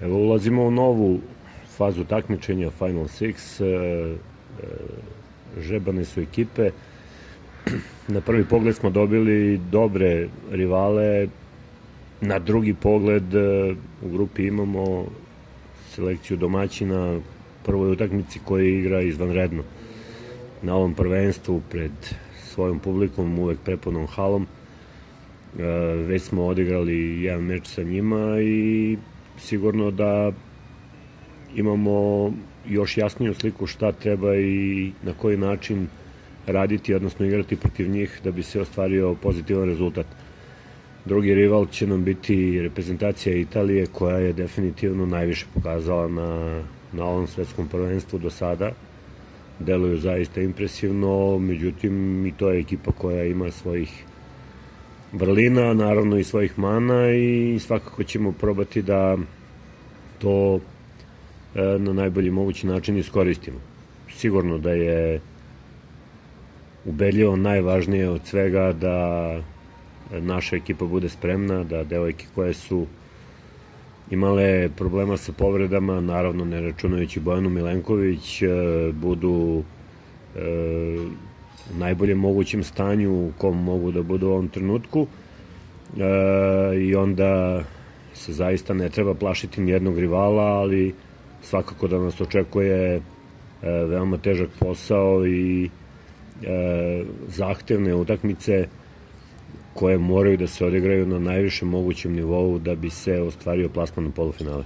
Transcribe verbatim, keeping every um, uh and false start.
Evo, ulazimo u novu fazu takmičenja Final Six. Žebane su ekipe. Na prvi pogled smo dobili dobre rivale. Na drugi pogled u grupi imamo selekciju domaćina prvoj utakmici koja igra izvanredno. Na ovom prvenstvu pred svojom publikom, uvek prepunom halom. Već smo odigrali jedan meč sa njima i sigurno da imamo još jasniju sliku šta treba i na koji način raditi, odnosno igrati protiv njih da bi se ostvario pozitivan rezultat. Drugi rival će nam biti reprezentacija Italije, koja je definitivno najviše pokazala na, na ovom svetskom prvenstvu do sada. Deluju zaista impresivno, međutim i to je ekipa koja ima svojih vrlina, naravno i svojih mana, i svakako ćemo probati da to na najbolji mogući način iskoristimo. Sigurno da je ubedljivo najvažnije od svega da naša ekipa bude spremna, da devojke koje su imale problema sa povredama, naravno ne računajući Bojanu Milenković, budu u najboljem mogućem stanju u kom mogu da budu u ovom trenutku, i onda se zaista ne treba plašiti nijednog rivala, ali svakako da nas očekuje veoma težak posao i zahtevne utakmice koje moraju da se odigraju na najvišem mogućem nivou da bi se ostvario plasman u polufinale.